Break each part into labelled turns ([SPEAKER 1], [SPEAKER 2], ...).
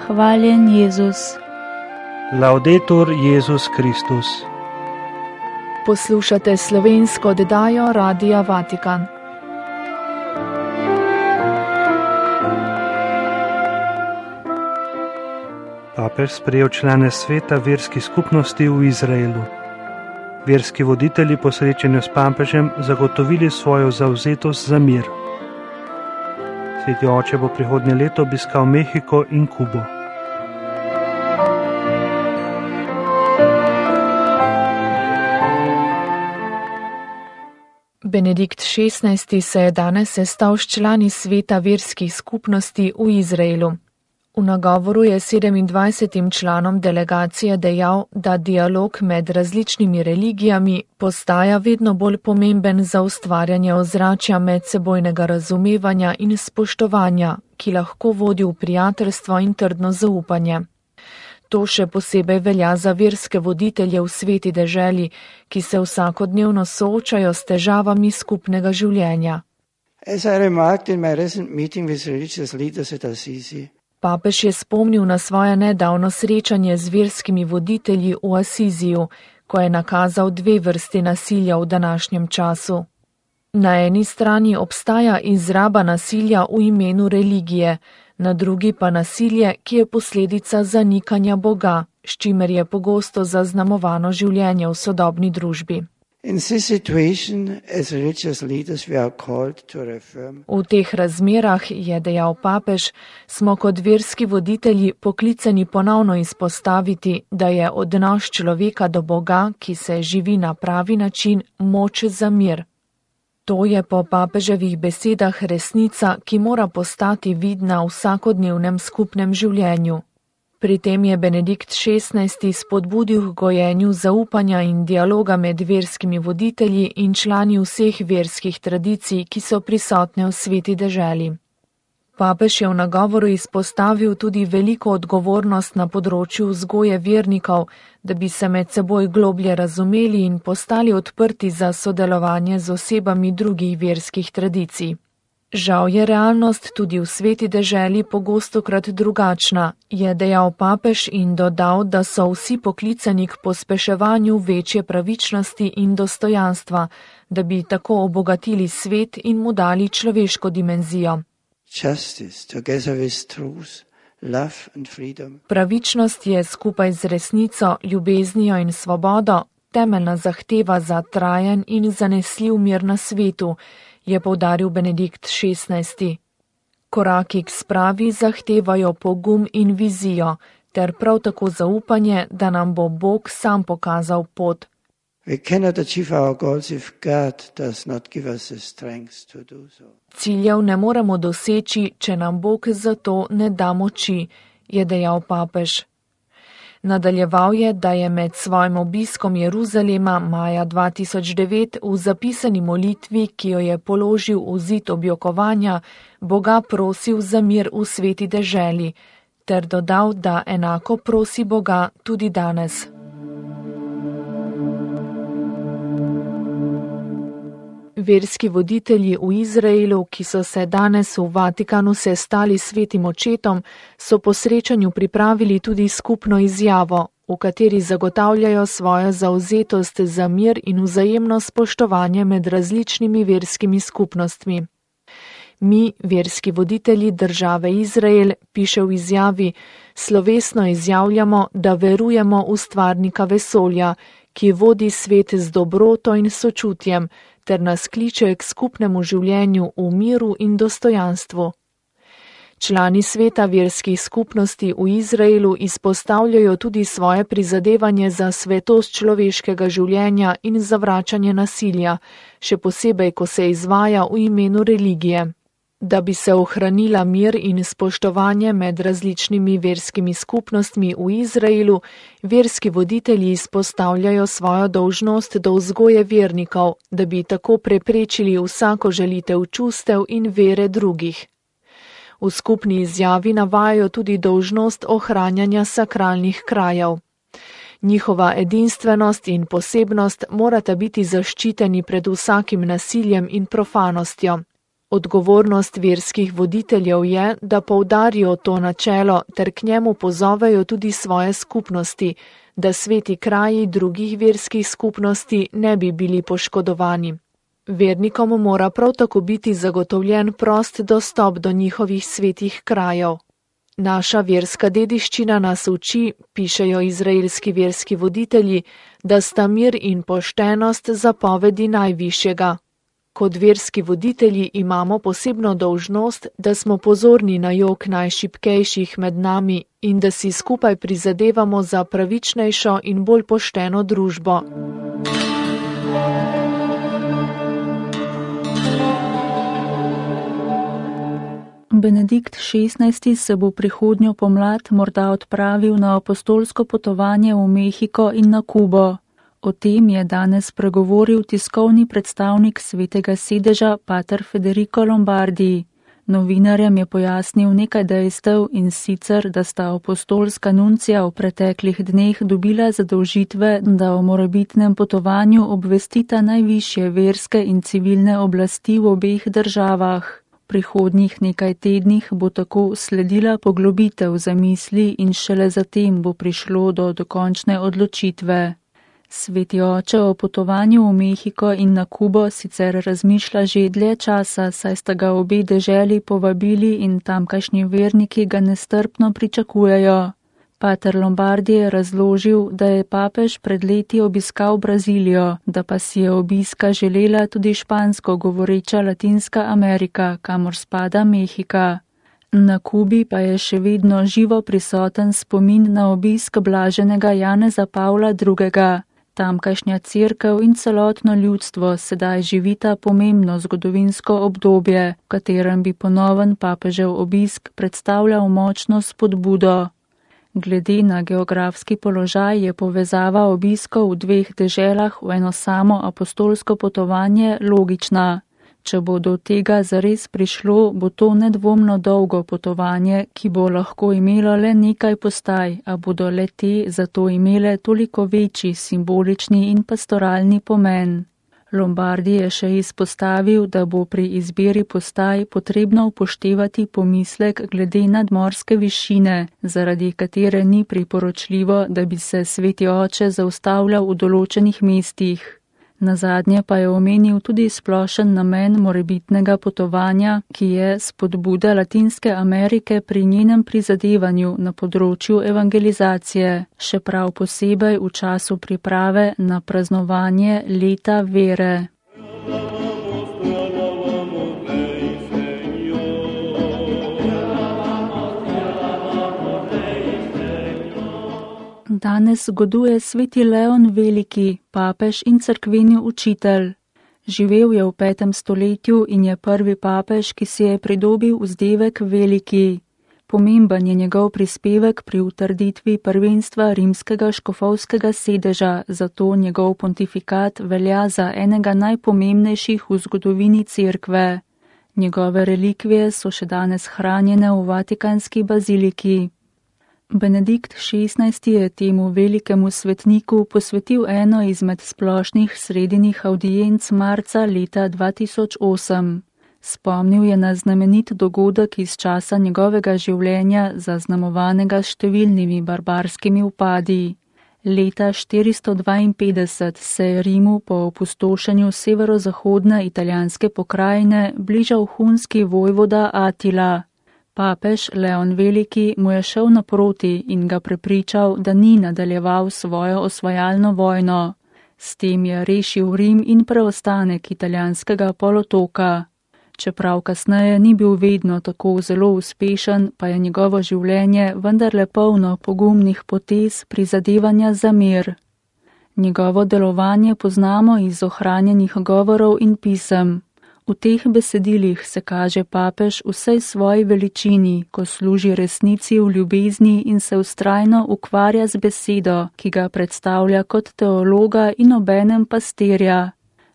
[SPEAKER 1] Hvaljen Jezus.
[SPEAKER 2] Laudetur Jezus Kristus.
[SPEAKER 3] Poslušate slovensko oddajo Radia Vatikan.
[SPEAKER 2] Papež sprejel člane sveta verskih skupnosti v Izraelu. Verski voditelji po srečanju s papežem zagotovili svojo zavzetost za mir. Sveti oče bo prihodnje leto obiskal Mehiko in Kubo.
[SPEAKER 3] Benedikt XVI. Se je danes sestal s člani sveta verskih skupnosti v Izraelu. V nagovoru je 27 članom delegacije dejal, da dialog med različnimi religijami postaja vedno bolj pomemben za ustvarjanje ozračja medsebojnega razumevanja in spoštovanja, ki lahko vodi v prijateljstvo in trdno zaupanje. To še posebej velja za verske voditelje v sveti deželi, ki se vsakodnevno soočajo s težavami skupnega življenja. Papež je spomnil na svoje nedavno srečanje z verskimi voditelji v Asiziju, ko je nakazal dve vrsti nasilja v današnjem času. Na eni strani obstaja izraba nasilja v imenu religije, na drugi pa nasilje, ki je posledica zanikanja Boga, s čimer je pogosto zaznamovano življenje v sodobni družbi. V teh razmerah, je dejal papež, smo kot verski voditelji poklicani ponovno izpostaviti, da je odnos človeka do Boga, ki se živi na pravi način, moč za mir. To je po papeževih besedah resnica, ki mora postati vidna v vsakodnevnem skupnem življenju. Pri tem je Benedikt XVI. Spodbudil k gojenju zaupanja in dialoga med verskimi voditelji in člani vseh verskih tradicij, ki so prisotne v sveti deželi. Papež je v nagovoru izpostavil tudi veliko odgovornost na področju vzgoje vernikov, da bi se med seboj globlje razumeli in postali odprti za sodelovanje z osebami drugih verskih tradicij. Žal je realnost tudi v sveti deželi pogostokrat drugačna, je dejal papež in dodal, da so vsi poklicani k pospeševanju večje pravičnosti in dostojanstva, da bi tako obogatili svet in mu dali človeško dimenzijo. Pravičnost je skupaj z resnico, ljubeznijo in svobodo temeljna zahteva za trajen in zanesljiv mir na svetu, je poudaril Benedikt XVI. Koraki k spravi zahtevajo pogum in vizijo, ter prav tako zaupanje, da nam bo Bog sam pokazal pot. Ciljev ne moremo doseči, če nam Bog za to ne da moči, je dejal papež. Nadaljeval je, da je med svojim obiskom Jeruzalema maja 2009 v zapisani molitvi, ki jo je položil v zid objokovanja, Boga prosil za mir v sveti deželi, ter dodal, da enako prosi Boga tudi danes. Verski voditelji v Izraelu, ki so se danes v Vatikanu sestali s svetim očetom, so po srečanju pripravili tudi skupno izjavo, v kateri zagotavljajo svojo zavzetost za mir in vzajemno spoštovanje med različnimi verskimi skupnostmi. Mi, verski voditelji države Izrael, piše v izjavi, slovesno izjavljamo, da verujemo v stvarnika vesolja, ki vodi svet z dobroto in sočutjem, ter nas kliče k skupnemu življenju v miru in dostojanstvu. Člani sveta verskih skupnosti v Izraelu izpostavljajo tudi svoje prizadevanje za svetost človeškega življenja in zavračanje nasilja, še posebej, ko se izvaja v imenu religije. Da bi se ohranila mir in spoštovanje med različnimi verskimi skupnostmi v Izraelu, verski voditelji izpostavljajo svojo dolžnost do vzgoje vernikov, da bi tako preprečili vsako žalitev čustev in vere drugih. V skupni izjavi navajajo tudi dolžnost ohranjanja sakralnih krajev. Njihova edinstvenost in posebnost morata biti zaščiteni pred vsakim nasiljem in profanostjo. Odgovornost verskih voditeljev je, da poudarijo to načelo ter k njemu pozovejo tudi svoje skupnosti, da sveti kraji drugih verskih skupnosti ne bi bili poškodovani. Vernikom mora prav tako biti zagotovljen prost dostop do njihovih svetih krajev. Naša verska dediščina nas uči, pišejo izraelski verski voditelji, da sta mir in poštenost zapovedi najvišjega. Kot verski voditelji imamo posebno dolžnost, da smo pozorni na jok najšibkejših med nami in da si skupaj prizadevamo za pravičnejšo in bolj pošteno družbo.
[SPEAKER 1] Benedikt XVI. Se bo prihodnjo pomlad morda odpravil na apostolsko potovanje v Mehiko in na Kubo. O tem je danes pregovoril tiskovni predstavnik Svetega sedeža pater Federico Lombardi. Novinarjem je pojasnil nekaj dejstev in sicer, da sta apostolska nuncija v preteklih dneh dobila zadolžitve, da o morebitnem potovanju obvestita najvišje verske in civilne oblasti v obeh državah. V prihodnjih nekaj tednih bo tako sledila poglobitev zamisli in šele zatem bo prišlo do dokončne odločitve. Sveti oče o potovanju v Mehiko in na Kubo sicer razmišlja že dlje časa, saj sta ga obe deželi povabili in tamkajšnji verniki ga nestrpno pričakujejo. Pater Lombardi je razložil, da je papež pred leti obiskal Brazilijo, da pa si je obiska želela tudi špansko govoreča Latinska Amerika, kamor spada Mehika. Na Kubi pa je še vedno živo prisoten spomin na obisk blaženega Janeza Pavla II. Tamkajšnja cerkev in celotno ljudstvo sedaj živita pomembno zgodovinsko obdobje, v katerem bi ponoven papežev obisk predstavljal močno spodbudo. Glede na geografski položaj je povezava obiskov v dveh deželah v eno samo apostolsko potovanje logična. Če bo do tega zares prišlo, bo to nedvomno dolgo potovanje, ki bo lahko imelo le nekaj postaj, a bodo le te zato imele toliko večji simbolični in pastoralni pomen. Lombardi je še izpostavil, da bo pri izbiri postaj potrebno upoštevati pomislek glede nadmorske višine, zaradi katere ni priporočljivo, da bi se sveti oče zaustavljal v določenih mestih. Nazadnje pa je omenil tudi splošen namen morebitnega potovanja, ki je spodbuda Latinske Amerike pri njenem prizadevanju na področju evangelizacije, še prav posebej v času priprave na praznovanje leta vere. Danes goduje sveti Leon Veliki, papež in cerkveni učitelj. Živel je v 5. stoletju in je prvi papež, ki si je pridobil vzdevek Veliki. Pomemben je njegov prispevek pri utrditvi prvenstva rimskega škofovskega sedeža, zato njegov pontifikat velja za enega najpomembnejših v zgodovini cerkve. Njegove relikvije so še danes hranjene v Vatikanski baziliki. Benedikt XVI. Je temu velikemu svetniku posvetil eno izmed splošnih sredinih audienc marca leta 2008. Spomnil je na znamenit dogodek iz časa njegovega življenja, zaznamovanega s številnimi barbarskimi upadi. Leta 452 se je Rimu po opustošenju severozahodne italijanske pokrajine bližal hunski vojvoda Atila. Papež Leon Veliki mu je šel naproti in ga prepričal, da ni nadaljeval svojo osvajalno vojno. S tem je rešil Rim in preostanek italijanskega polotoka. Čeprav kasneje ni bil vedno tako zelo uspešen, pa je njegovo življenje vendarle polno pogumnih potez prizadevanja za mir. Njegovo delovanje poznamo iz ohranjenih govorov in pisem. V teh besedilih se kaže papež vsej svoji veličini, ko služi resnici v ljubezni in se vztrajno ukvarja z besedo, ki ga predstavlja kot teologa in obenem pastirja.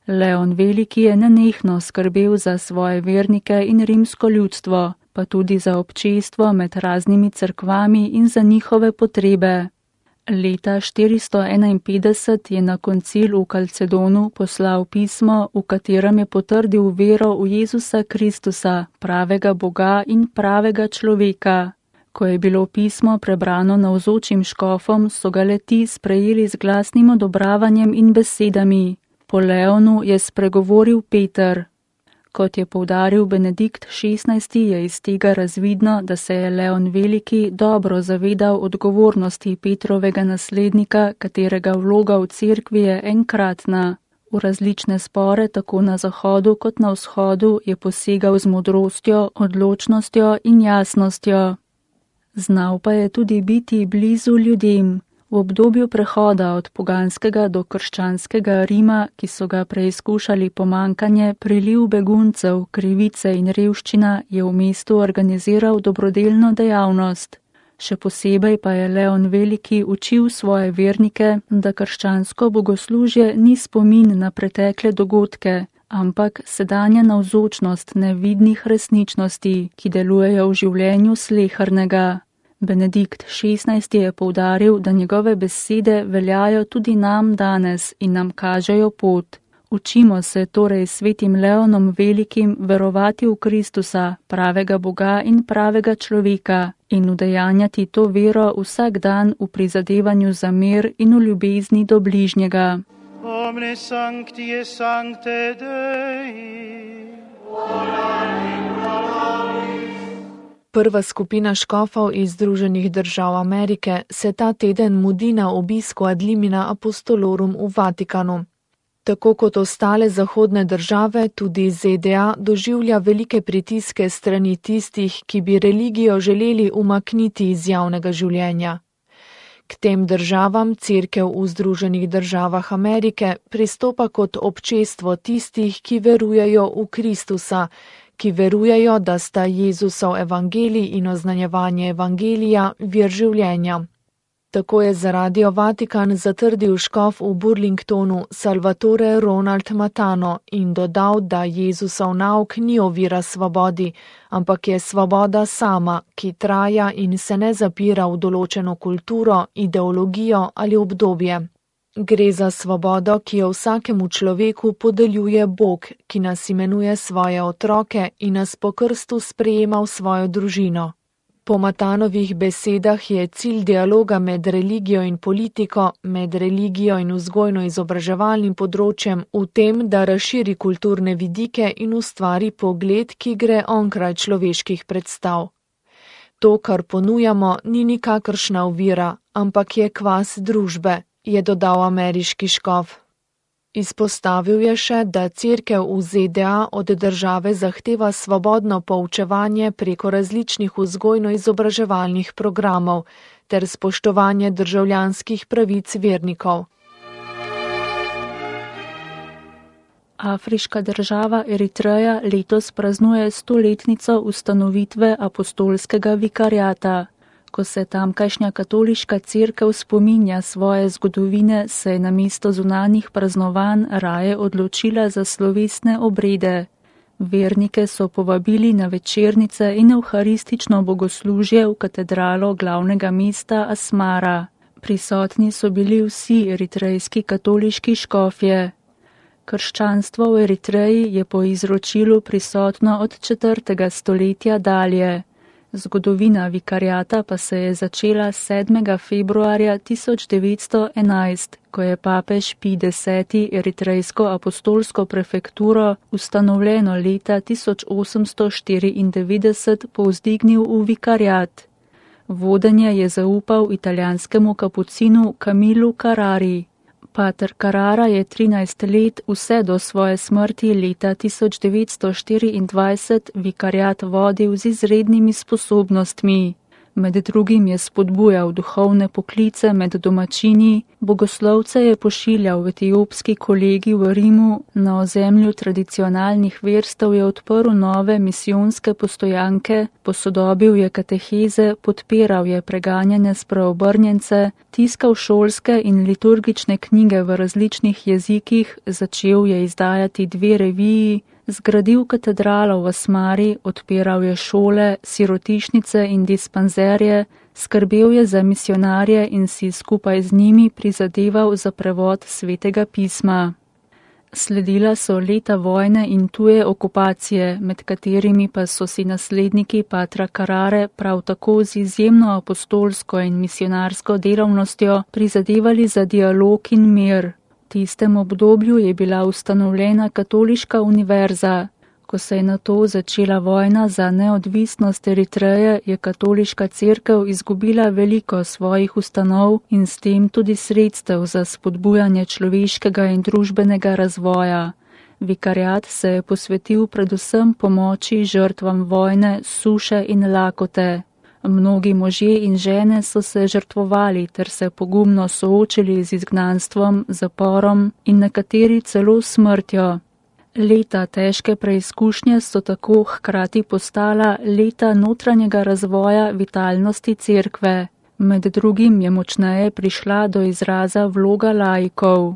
[SPEAKER 1] Leon Veliki je nenehno skrbel za svoje vernike in rimsko ljudstvo, pa tudi za občestvo med raznimi cerkvami in za njihove potrebe. Leta 451 je na koncil v Kalcedonu poslal pismo, v katerem je potrdil vero v Jezusa Kristusa, pravega Boga in pravega človeka. Ko je bilo pismo prebrano navzočim škofom, so ga le-ti sprejeli z glasnim odobravanjem in besedami. Po Leonu je spregovoril Peter. Kot je poudaril Benedikt XVI, je iz tega razvidno, da se je Leon Veliki dobro zavedal odgovornosti Petrovega naslednika, katerega vloga v cerkvi je enkratna. V različne spore, tako na zahodu kot na vzhodu, je posegal z modrostjo, odločnostjo in jasnostjo. Znal pa je tudi biti blizu ljudem. V obdobju prehoda od poganskega do krščanskega Rima, ki so ga preizkušali pomankanje, priliv beguncev, krivice in revščina, je v mestu organiziral dobrodelno dejavnost. Še posebej pa je Leon Veliki učil svoje vernike, da krščansko bogoslužje ni spomin na pretekle dogodke, ampak sedanja navzočnost nevidnih resničnosti, ki delujejo v življenju slehernega. Benedikt XVI je poudaril, da njegove besede veljajo tudi nam danes in nam kažejo pot. Učimo se torej svetim Leonom Velikim verovati v Kristusa, pravega Boga in pravega človeka, in udejanjati to vero vsak dan v prizadevanju za mir in v ljubezni do bližnjega.
[SPEAKER 4] Omne sancti et sancte Dei.
[SPEAKER 3] Prva skupina škofov iz Združenih držav Amerike se ta teden mudi na obisku ad limina apostolorum v Vatikanu. Tako kot ostale zahodne države, tudi ZDA doživlja velike pritiske strani tistih, ki bi religijo želeli umakniti iz javnega življenja. K tem državam cerkev v Združenih državah Amerike pristopa kot občestvo tistih, ki verujejo v Kristusa, ki verujejo, da sta Jezusov evangelij in oznanjevanje evangelija vir življenja. Tako je za Radio Vatikan zatrdil škof v Burlingtonu Salvatore Ronald Matano in dodal, da Jezusov nauk ni ovira svobodi, ampak je svoboda sama, ki traja in se ne zapira v določeno kulturo, ideologijo ali obdobje. Gre za svobodo, ki jo vsakemu človeku podeljuje Bog, ki nas imenuje svoje otroke in nas po krstu sprejema v svojo družino. Po Matanovih besedah je cilj dialoga med religijo in politiko, med religijo in vzgojno-izobraževalnim področjem v tem, da razširi kulturne vidike in ustvari pogled, ki gre onkraj človeških predstav. To, kar ponujamo, ni nikakršna ovira, ampak je kvas družbe, je dodal ameriški škof. Izpostavil je še, da cerkev v ZDA od države zahteva svobodno poučevanje preko različnih vzgojno-izobraževalnih programov ter spoštovanje državljanskih pravic vernikov.
[SPEAKER 1] Afriška država Eritreja letos praznuje 100-letnico ustanovitve apostolskega vikariata. Ko se tamkajšnja katoliška cerkev spominja svoje zgodovine, se je namesto zunanjih praznovanj raje odločila za slovesne obrede. Vernike so povabili na večernice in evharistično bogoslužje v katedralo glavnega mesta Asmara. Prisotni so bili vsi eritrejski katoliški škofje. Krščanstvo v Eritreji je po izročilu prisotno od 4. stoletja dalje. Zgodovina vikariata pa se je začela 7. februarja 1911, ko je papež Pij X. eritrejsko apostolsko prefekturo, ustanovljeno leta 1894, povzdignil v vikariat. Vodenje je zaupal italijanskemu kapucinu Camilu Carrari. Pater Carrara je 13 let, vse do svoje smrti leta 1924, vikariat vodil z izrednimi sposobnostmi. Med drugim je spodbujal duhovne poklice med domačini, bogoslovce je pošiljal v etiopski kolegij v Rimu, na ozemlju tradicionalnih verstev je odprl nove misijonske postojanke, posodobil je kateheze, podpiral je preganjanje spreobrnjence, tiskal šolske in liturgične knjige v različnih jezikih, začel je izdajati 2 reviji, Zgradil katedralo v Asmari, odpiral je šole, sirotišnice in dispanzerje, skrbel je za misionarje in si skupaj z njimi prizadeval za prevod svetega pisma. Sledila so leta vojne in tuje okupacije, med katerimi pa so si nasledniki patra Carrare prav tako z izjemno apostolsko in misionarsko delavnostjo prizadevali za dialog in mir. V tistem obdobju je bila ustanovljena katoliška univerza. Ko se je nato začela vojna za neodvisnost Eritreje, je katoliška cerkev izgubila veliko svojih ustanov in s tem tudi sredstev za spodbujanje človeškega in družbenega razvoja. Vikariat se je posvetil predvsem pomoči žrtvam vojne, suše in lakote. Mnogi možje in žene so se žrtvovali ter se pogumno soočili z izgnanstvom, zaporom in nekateri celo smrtjo. Leta težke preizkušnje so tako hkrati postala leta notranjega razvoja vitalnosti cerkve. Med drugim je močneje prišla do izraza vloga laikov.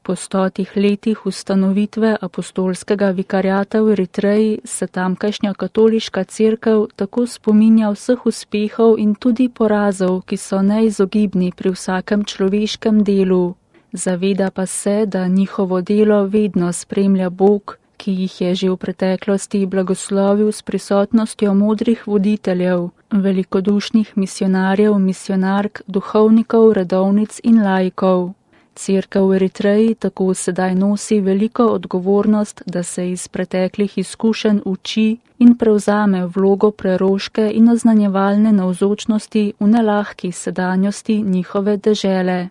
[SPEAKER 1] Po 100 letih ustanovitve apostolskega vikariata v Eritreji se tamkajšnja katoliška cerkev tako spominja vseh uspehov in tudi porazov, ki so neizogibni pri vsakem človeškem delu. Zaveda pa se, da njihovo delo vedno spremlja Bog, ki jih je že v preteklosti blagoslovil s prisotnostjo modrih voditeljev, velikodušnih misionarjev, misionark, duhovnikov, redovnic in laikov. Cerkev v Eritreji tako sedaj nosi veliko odgovornost, da se iz preteklih izkušenj uči in prevzame vlogo preroške in oznanjevalne navzočnosti v nelahki sedanjosti njihove dežele.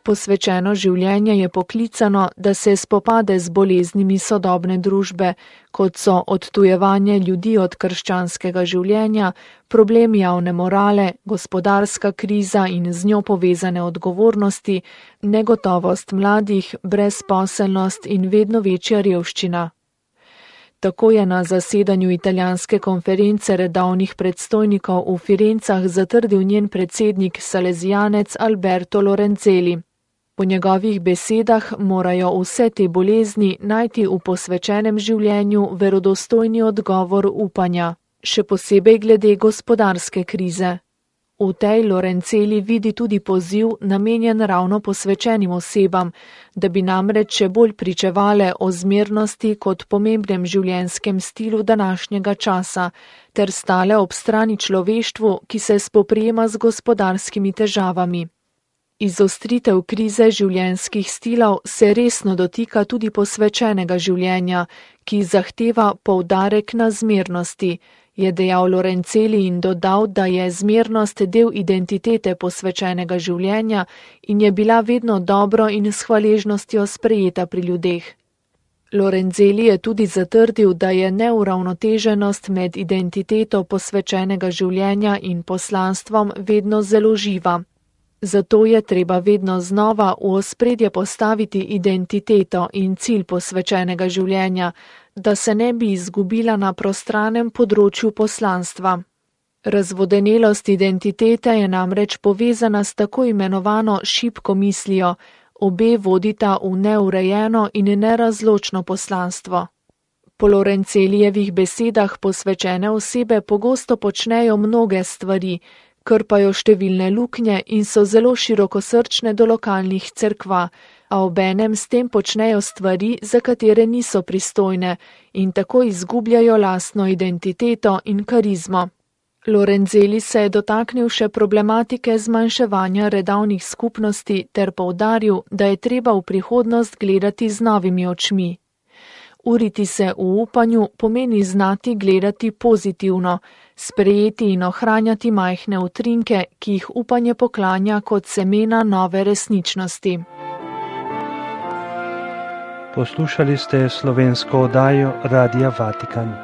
[SPEAKER 3] Posvečeno življenje je poklicano, da se spopade z boleznimi sodobne družbe, kot so odtujevanje ljudi od krščanskega življenja, problem javne morale, gospodarska kriza in z njo povezane odgovornosti, negotovost mladih, brezposelnost in vedno večja revščina. Tako je na zasedanju italijanske konference redovnih predstojnikov v Firencah zatrdil njen predsednik salezijanec Alberto Lorenzelli. Po njegovih besedah morajo vse te bolezni najti v posvečenem življenju verodostojni odgovor upanja, še posebej glede gospodarske krize. V tej Lorenzelli vidi tudi poziv namenjen ravno posvečenim osebam, da bi namreč še bolj pričevale o zmernosti kot pomembnem življenjskem stilu današnjega časa, ter stale ob strani človeštvu, ki se spoprijema z gospodarskimi težavami. Izostritev krize življenjskih stilov se resno dotika tudi posvečenega življenja, ki zahteva poudarek na zmernosti, je dejal Lorenzelli in dodal, da je zmernost del identitete posvečenega življenja in je bila vedno dobro in s hvaležnostjo sprejeta pri ljudeh. Lorenzelli je tudi zatrdil, da je neuravnoteženost med identiteto posvečenega življenja in poslanstvom vedno zelo živa. Zato je treba vedno znova v ospredje postaviti identiteto in cilj posvečenega življenja, da se ne bi izgubila na prostranem področju poslanstva. Razvodenelost identitete je namreč povezana s tako imenovano šibko mislijo, obe vodita v neurejeno in nerazločno poslanstvo. Po Lorenzelijevih besedah posvečene osebe pogosto počnejo mnoge stvari, krpajo številne luknje in so zelo širokosrčne do lokalnih cerkva, a obenem s tem počnejo stvari, za katere niso pristojne in tako izgubljajo lastno identiteto in karizmo. Lorenzelli se je dotaknil še problematike zmanjševanja redovnih skupnosti ter poudaril, da je treba v prihodnost gledati z novimi očmi. Uriti se v upanju pomeni znati gledati pozitivno, sprejeti in ohranjati majhne utrinke, ki jih upanje poklanja kot semena nove resničnosti.
[SPEAKER 2] Poslušali ste slovensko oddajo Radia Vatikan.